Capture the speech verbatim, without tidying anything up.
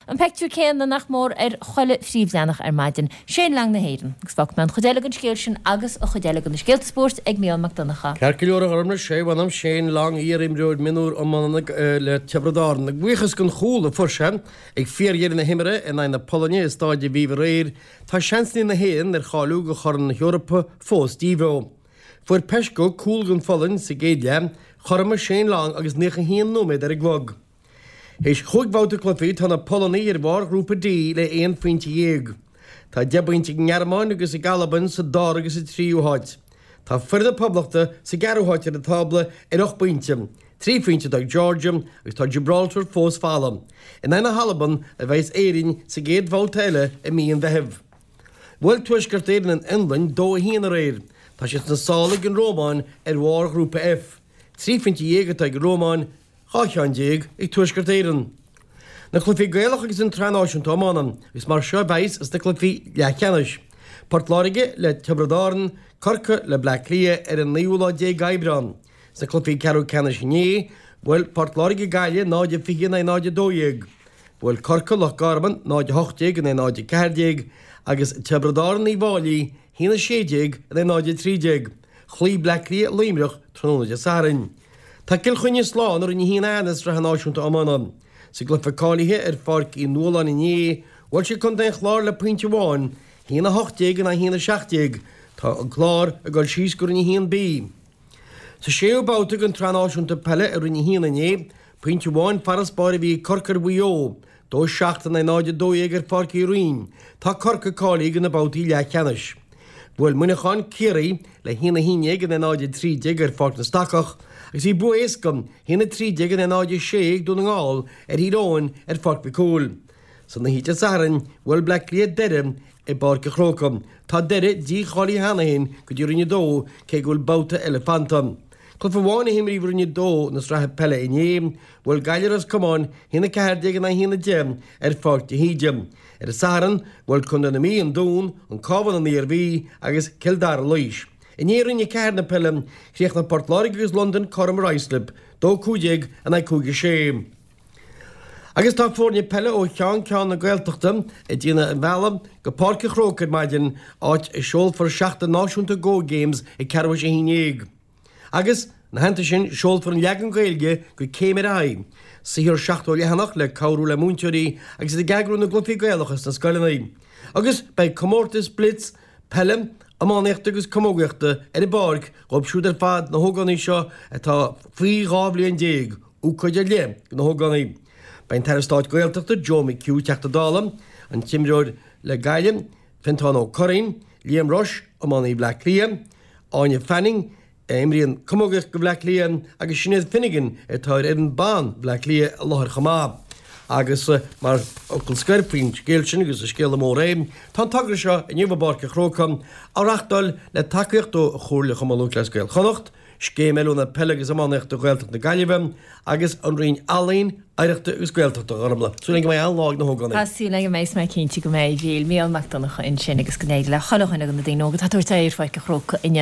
An pictiúr céanna nach mór ar chuile phríomhleathanach ar maidin, Shane Long na hÉireann. Agus fágfaidh mé an chuid eile den scéal sin agus an chuid eile de na scéalta spóirt ag Mícheál Mac Donncha. Ceart go leor a Ghormfhlaith, sé a mh'anam Shane Long, iarimreoir mionúr iomána le Tiobraid Árann. Buíochas don chúl a fuair sé ag fíordheireadh na himeartha in aghaidh na Polainne i Stáid Aviva aréir, tá seansanna na hÉireann ar cháiliú do Chorn na hEorpa fós díbheo. Fuair Peszko cúl don Pholainn sa gcéad leath, chothromaigh Shane Long agus naocha haon nóiméad ar an gclog. Théis chúig bhabhta cluichí tá na Polannaigh ar bharr Ghrúpa D le aon phointe dhéag. Tá deich bpointe ag an nGearmáin agus ag Albain sa dara agus sa tríú háit. Tá foireann na Poblachta sa gceathrú háit ar an tábla ar ocht bpointe, trí phointe atá ag Georgia agus tá Gibraltar fós folamh. In aghaidh na hAlban a bheas Éirinn sa gcéad bhabhta eile i mí an Mheithimh. Bhuail Tuaisceart Éireann an Fhionlainn dó a haon aréir. Tá siad sna sála ag an Rómáin ar bharr Ghrúpa F. Trí phointe dhéag atá ag an Rómáin, dhá cheann déag ag Tuaisceart Éireann. Na cluichí Gaelach agus an tSraith Náisiúnta Iomána, agus mar seo a bheas sna cluichí leathcheannais, Port Láirge le Tiobraid Árann, Corcaigh le Bleá Cliath ar an naoú lá déag Aibreán. Sna cluichí ceathrú ceannais inné, bhuail Port Láirge Gaillimh náid a fiche in aghaidh náid a dó dhéag. Bhuail Corcaigh Loch Garman náid a hocht déag in aghaidh náid a ceathair déag agus Tiobraid Árann Uíbh Fhailí haon a sé déag in aghaidh náid a trí déag. Chloígh Bleá Cliath Luimneach tráthnóna Dé Sathairn. Tá Cill Chainnigh slán i Roinn a haon A na Sraithe Náisiúnta Iomána. Sa gcluiche cáilithe ar Pháirc Uí Nualláin inné, bhuail siad Contae an Chláir le pointe amháin, haon a hocht déag in aghaidh haon a seacht déag. Tá an Clár ag dul síos go Roinn a haon B. Sa séú babhta den tSraith Náisiúnta Peile i Roinn a haon inné, Pointe amháin farasbarr a bhí ag Corcaigh ar Mhaigh Eo, dó seacht in aghaidh náid a dó dhéag ar Pháirc Uí Rinn. Tá Corcaigh cáilithe do na babhtaí leathcheannais. Bhuail Muineachán Ciarraí le haon a haon déag in aghaidh náid a trí déag ar Pháirc na Stacach agus bhí bua éasca, haon a trí déag in aghaidh náid a sé ag Dún na nGall ar Thír Eoghain ar Pháirc Mhic Cumhaill. San oíche Dé Sathairn, bhuail Bleá Cliath Doire i bPáirc an Chrócaigh. Tá Doire dícháilithe cheana féin go dtí Roinn a dó cé go bhfuil babhta eile fanta. Cluiche amháin a himríodh i Roinn a dó na sraithe peile inné, bhuail Gaillimh Ros Comáin a haon a ceathair déag in aghaidh a haon a deich ar Pháirc de hÍde. Ar an Satharn, bhuail Contae na Mí an Dún, an Cabhán an Iarmhí agus Cill Dara Laois. Inné i Roinn a ceathair na peile, chríochnaigh Port Láirge agus Londain cothrom ar Islip, dó cúig déag in aghaidh cúig a sé. Agus tá foirne peile ó cheann ceann na Gaeltachta ag déanamh an bhealaigh go Páirc an Chrócaigh ar maidin, áit a seolfar Seachtain Náisiúnta Go Games ag ceathrú théis a haon déag. Agus, ina theannta sin, seolfar an leagan Gaeilge de Céim ar Aghaidh, saothar seachtó leathanach le cabhrú le múinteoirí agus iad ag eagrú na gcluichí Gaelacha sna scoileanna. Agus beidh comórtas blitz peile, iománaíochta agus camógaíochta ar an bpáirc dhóibh siúd ar fad, na hógánaigh seo atá faoi dhá bhliain déag. Ócáid ar leith do na hógánaigh. Beidh an tAire Stáit Gaeltachta Joe McHugh, Teachta Dála, an t-imreoir le Gaillimh, Fiontán Ó Curraoin, Liam Rushe, iománaí Bhleá Cliath, Áine Fanning, a imríonn camógaíocht do Bhleá Cliath, agus Sinéad Finnegan, atá ar fhoireann ban Bhleá Cliath, i láthair chomh maith. Agus mar fhocal scoir faoin scéal sin, agus is scéala mór é, tá an togra seo inniu i bPáirc an Chrócaigh á reáchtáil le tacaíocht ó Chomhairle Chumann Lúthchleas Gael Chonnacht, Scéim Oiliúna Peile agus Iománaíochta Ghaeltacht na Gaillimhe agus an Roinn Ealaíon, Oidhreachta agus Gaeltachta, a Ghormfhlaith. Súil againn go mbeidh an-lá ag na hógánaigh. Tá súil agam go mbeidh, is mé cinnte go mbeidh. Bhí Mícheál Mac Donncha ansin agus go n-éirí le chuile dhuine de na daoine óga atá ag tabhairt aghaidh ar Pháirc an Chrócaigh inniu.